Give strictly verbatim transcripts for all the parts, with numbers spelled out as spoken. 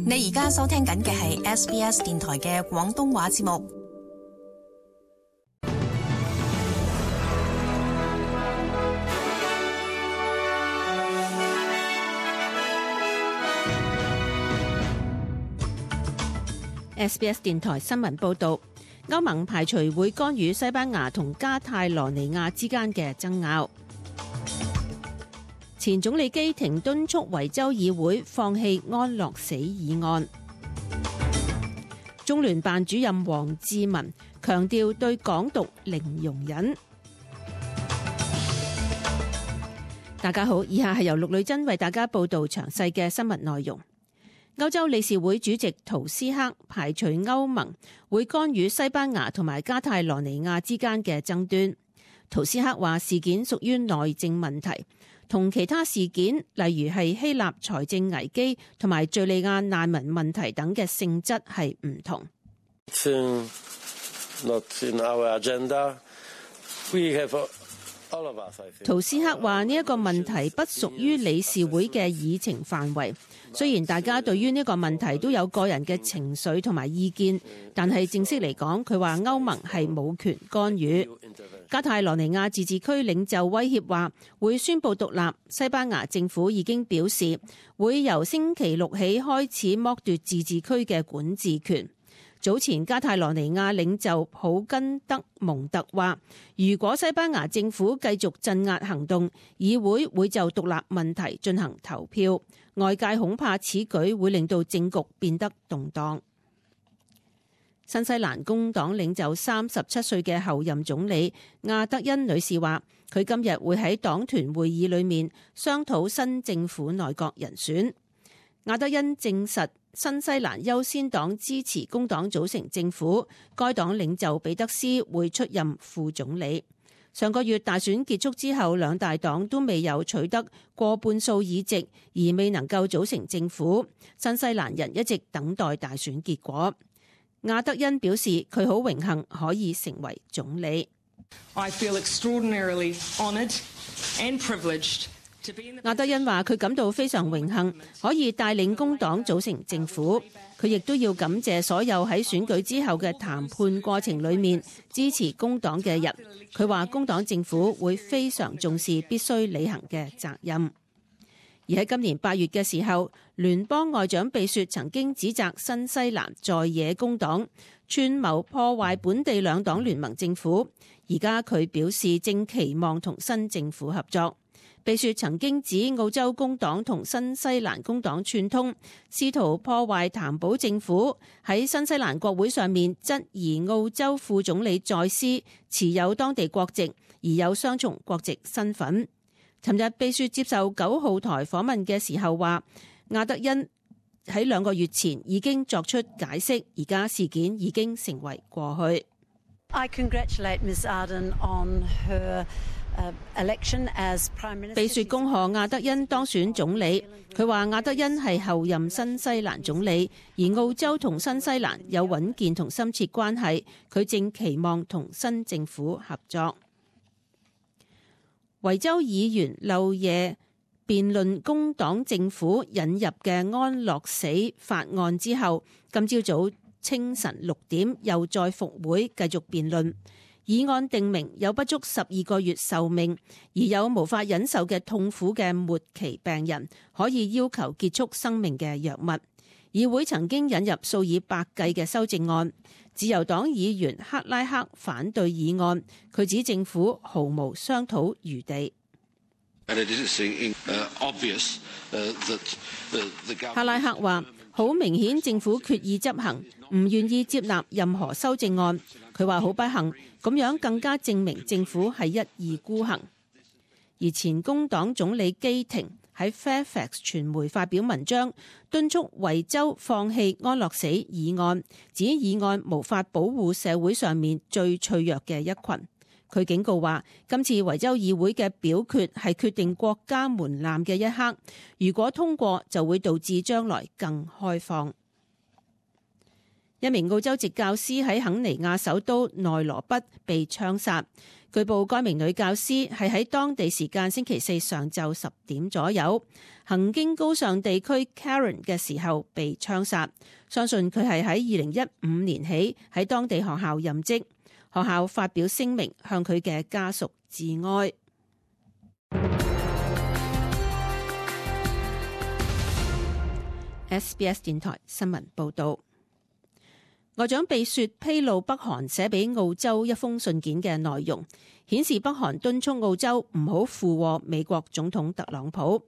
你而家收聽緊嘅係 S B S 電台嘅廣東話節目。S B S 電台新聞報道，歐盟排除會干預西班牙同加泰羅尼亞之間嘅爭拗。前總理基廷敦促維州議會放棄安樂死議案。中聯辦主任王志民強調對港獨零容忍。大家好，以下係由陸女珍為大家報道詳細嘅新聞內容。歐洲理事會主席圖斯克排除歐盟會干預西班牙同埋加泰羅尼亞之間嘅爭端。圖斯克話事件屬於內政問題，同其他事件，例如係希臘財政危機同埋敘利亞難民問題等嘅性質係唔同。圖斯克話呢一個問題不屬於理事會嘅議程範圍，雖然大家對於呢個問題都有個人嘅情緒同埋意見，但係正式嚟講，佢話歐盟係冇權干預。加泰羅尼亞自治區領袖威脅話會宣布獨立，西班牙政府已經表示會由星期六起開始剝奪自治區嘅管治權。早前加泰羅尼亞領袖普根德蒙特話，如果西班牙政府繼續鎮壓行動，議會會就獨立問題進行投票。外界恐怕此舉會令到政局變得動盪。新西蘭工黨領袖三十七歲嘅候任總理亞德恩女士話，佢今日會喺黨團會議裏面商討新政府內閣人選。亞德恩證實新西蘭優先黨支持工黨組成政府，該黨領袖彼得斯會出任副總理。上個月大選結束之後，兩大黨都未有取得過半數議席，而未能夠組成政府。新西蘭人一直等待大選結果。亞德恩表示佢好榮幸可以成為總理。I feel extraordinarily honoured and privileged. 亞德恩話佢感到非常榮幸可以帶領工黨組成政府，佢亦都要感謝所有喺選舉之後嘅談判過程裏面支持工黨嘅人。佢話工黨政府會非常重視必須履行嘅責任。而喺今年八月嘅時候，聯邦外長貝雪曾經指責新西蘭在野工黨串謀破壞本地兩黨聯盟政府，而家佢表示正期望同新政府合作。貝雪曾經指澳洲工黨同新西蘭工黨串通，試圖破壞譚寶政府，喺新西蘭國會上面質疑澳洲副總理在斯持有當地國籍，而有雙重國籍身份。尋日貝雪接受九號台訪問嘅時候話，亞德恩喺兩個月前已經作出解釋，而家事件已經成為過去。I congratulate Miz Ardern on her election as Prime Minister。貝雪恭賀亞德恩當選總理，佢話亞德恩係後任新西蘭總理，而澳洲同新西蘭有穩健同深切關係，佢正期望同新政府合作。維州議員漏夜辯論工黨政府引入嘅安樂死法案之後，今朝早清晨六點又再復會繼續辯論。議案定明有不足十二個月壽命而有無法忍受嘅痛苦嘅末期病人可以要求結束生命嘅藥物。議會曾經引入數以百計嘅修正案。自由黨議員克拉克反對議案，佢指政府毫無商討餘地。克拉克話：好明顯政府決意執行，唔願意接納任何修正案。佢話好不幸，咁樣更加證明政府係一意孤行。而前工黨總理基廷喺 Fairfax 傳媒發表文章，敦促維州放棄安樂死議案，指議案無法保護社會上面最脆弱嘅一群。佢警告話，今次維州議會嘅表決係決定國家門檻嘅一刻，如果通過就會導致將來更開放。一名澳洲籍教師喺肯尼亞首都內羅畢被槍殺。據報該名女教師係喺當地時間星期四上晝十點左右行經高尚地區 Karen 嘅時候被槍殺。相信佢係喺二零一五年起喺當地學校任職。學校發表聲明向佢嘅家屬致哀。S B S 電台新聞報道。外長貝雪披露北韓寫俾澳洲一封信件嘅內容，顯示北韓敦促澳洲唔好附和美國總統特朗普。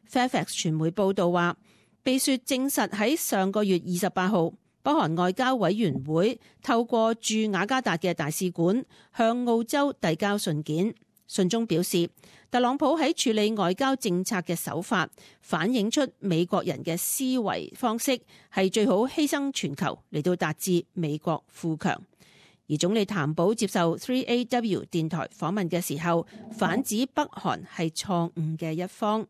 Fairfax 傳媒報道話，貝雪證實喺上個月二十八號，北韓外交委員會透過駐雅加達嘅大使館向澳洲遞交信件。信中表示，特朗普喺處理外交政策嘅手法，反映出美國人嘅思維方式係最好犧牲全球嚟到達至美國富強。而總理譚寶接受 三 A W 電台訪問嘅時候，反指北韓係錯誤嘅一方。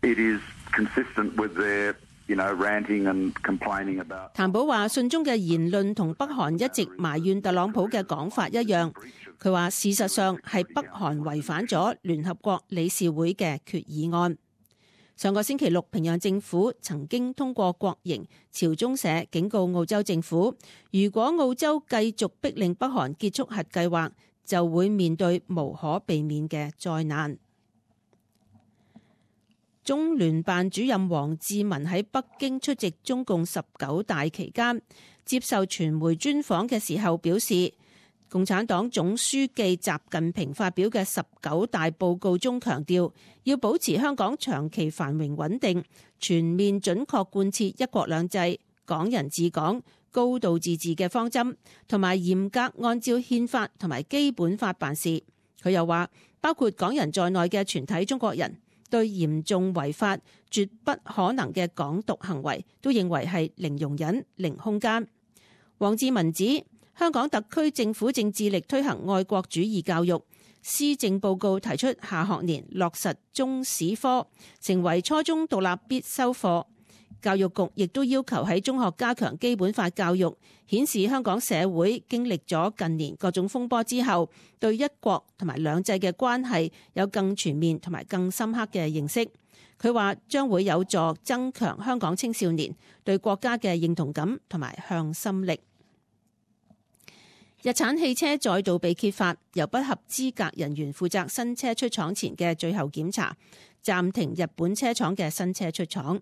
It is consistent with their, you know, ranting and complaining about. 譚寶話信中嘅言論同北韓一直埋怨特朗普嘅講法一樣。佢話事實上係北韓違反咗聯合國理事會嘅決議案。上個星期六，平壤政府曾經通過國營朝中社警告澳洲政府，如果澳洲繼續逼令北韓結束核計劃，就會面對無可避免嘅災難。中聯辦主任王志民喺北京出席中共十九大期間，接受傳媒專訪嘅時候表示，共產黨總書記習近平發表嘅十九大報告中強調，要保持香港長期繁榮穩定，全面準確貫徹一國兩制、港人治港、高度自治嘅方針，同埋嚴格按照憲法同埋基本法辦事。佢又話，包括港人在內嘅全體中國人對嚴重違法、絕不可能嘅港獨行為，都認為係零容忍、零空間。王志民指，香港特區政府正致力推行愛國主義教育，施政報告提出下學年落實中史科，成為初中獨立必修課。教育局亦都要求喺中學加強基本法教育，顯示香港社會經歷咗近年各種風波之後，對一國同埋兩制嘅關係有更全面同埋更深刻嘅認識。佢話將會有助增強香港青少年對國家嘅認同感同埋向心力。日產汽車再度被揭發由不合資格人員負責新車出廠前嘅最後檢查，暫停日本車廠嘅新車出廠。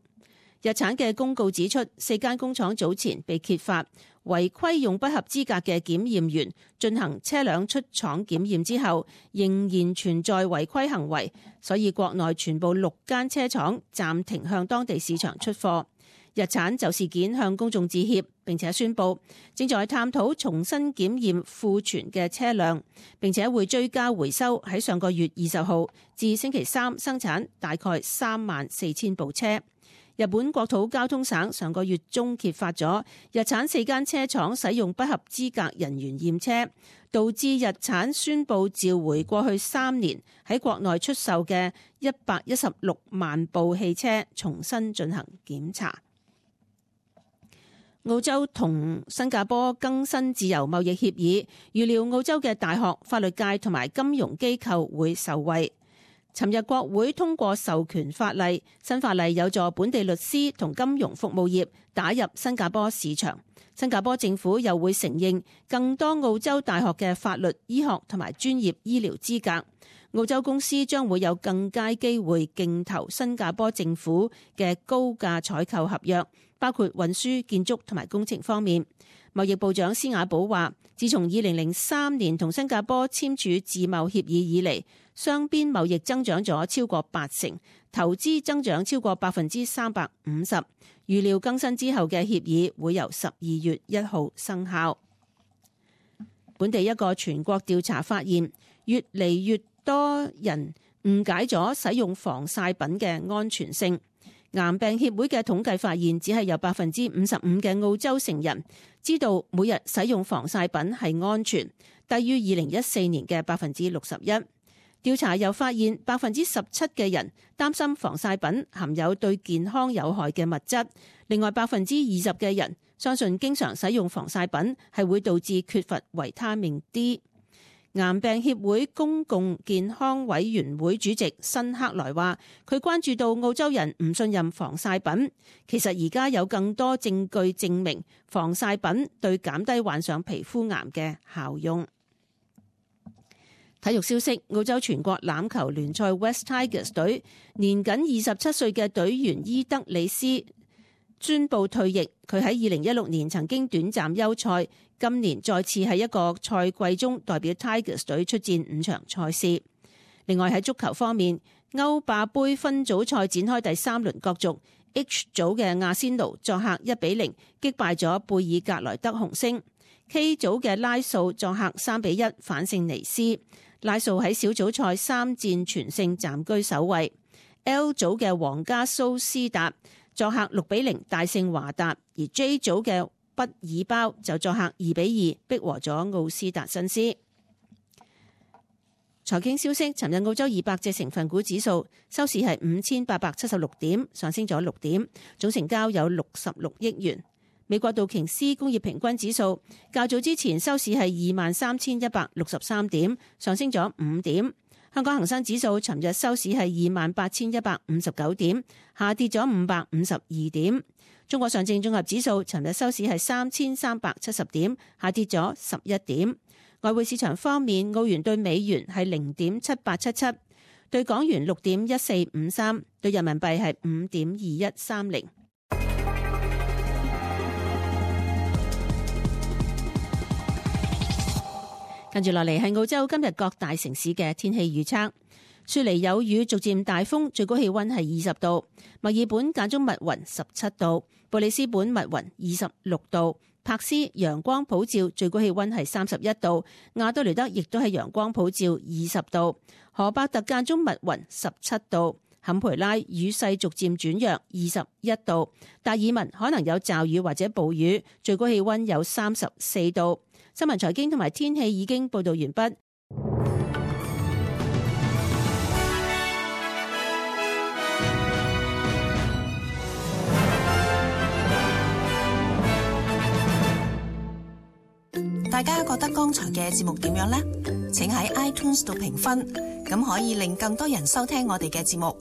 日產嘅公告指出，四間工廠早前被揭發違規用不合資格嘅檢驗員進行車輛出廠檢驗之後，仍然存在違規行為，所以國內全部六間車廠暫停向當地市場出貨。日產就事件向公眾致歉，並且宣布正在探討重新檢驗庫存嘅車輛，並且會追加回收喺上個月二十號至星期三生產大概三萬四千部車。日本國土交通省上個月中揭發咗日產四間車廠使用不合資格人員驗車，導致日產宣布召回過去三年喺國內出售嘅一百一十六萬部汽車，重新進行檢查。澳洲同新加坡更新自由貿易協議，預料澳洲嘅大學、法律界同埋金融機構會受惠。尋日國會通過授權法例，新法例有助本地律師同金融服務業打入新加坡市場。新加坡政府又會承認更多澳洲大學嘅法律、醫學同埋專業醫療資格。澳洲公司將會有更佳機會競投新加坡政府嘅高價採購合約，包括運輸、建築同埋工程方面。貿易部長施雅寶話，自從二零零三年同新加坡簽署自貿協議以嚟，雙邊貿易增長咗超過八成，投資增長超過百分之三百五十。預料更新之後嘅協議會由十二月一號生效。本地一個全國調查發現，越嚟越多人誤解咗使用防曬品嘅安全性。癌病協會嘅統計發現，只係有百分之五十五嘅澳洲成人知道每日使用防曬品係安全，低於二零一四年嘅百分之六十一。調查又發現百分之十七嘅人擔心防曬品含有對健康有害嘅物質，另外百分之二十嘅人相信經常使用防曬品係會導致缺乏維他命 D。癌病協會公共健康委員會主席辛克萊話，佢關注到澳洲人唔信任防曬品。其實而家有更多證據證明防曬品對減低患上皮膚癌嘅效用。體育消息，澳洲全國欖球聯賽 West Tigers 隊年僅二十七歲嘅隊員伊德里斯宣布退役。佢喺二零一六年曾經短暫休賽，今年再次喺一個賽季中代表 Tigers 隊出戰五場賽事。另外喺足球方面，歐霸盃分組賽展開第三輪角逐 ，H 組嘅阿仙奴作客一比零擊敗咗貝爾格萊德紅星 ，K 組嘅拉素作客三比一反勝尼斯。拉素喺小組賽三戰全勝，暫居首位。L 組嘅皇家蘇斯達作客六比零大勝華達，而 J 組嘅畢爾包就作客二比二逼和咗奧斯達辛斯。財經消息，尋日澳洲二百隻成分股指數收市係五千八百七十六點，上升咗六點，總成交有六十六億元。美國道瓊斯工業平均指數較早之前收市係二萬三千一百六十三點，上升咗五點。香港恒生指數尋日收市係二萬八千一百五十九點，下跌咗五百五十二點。中國上證綜合指數尋日收市係三千三百七十點，下跌咗十一點。外匯市場方面，澳元對美元係零點七八七七，對港元六點一四五三，對人民幣係五點二一三零。跟住落嚟係澳洲今日各大城市嘅天氣預測。雪梨有雨，逐漸大風，最高氣溫係二十度；墨爾本間中密雲，十七度；布里斯本密雲，二十六度；柏斯陽光普照，最高氣溫係三十一度；亞多雷德亦都係陽光普照，二十度；荷伯特間中密雲，十七度；坎培拉雨勢逐漸轉弱，二十一度；達爾文可能有驟雨或者暴雨，最高氣溫有三十四度。新聞財經同埋天氣已經報道完畢。大家覺得剛才嘅節目點樣呢？請喺 iTunes 度評分，咁可以令更多人收聽我哋嘅節目。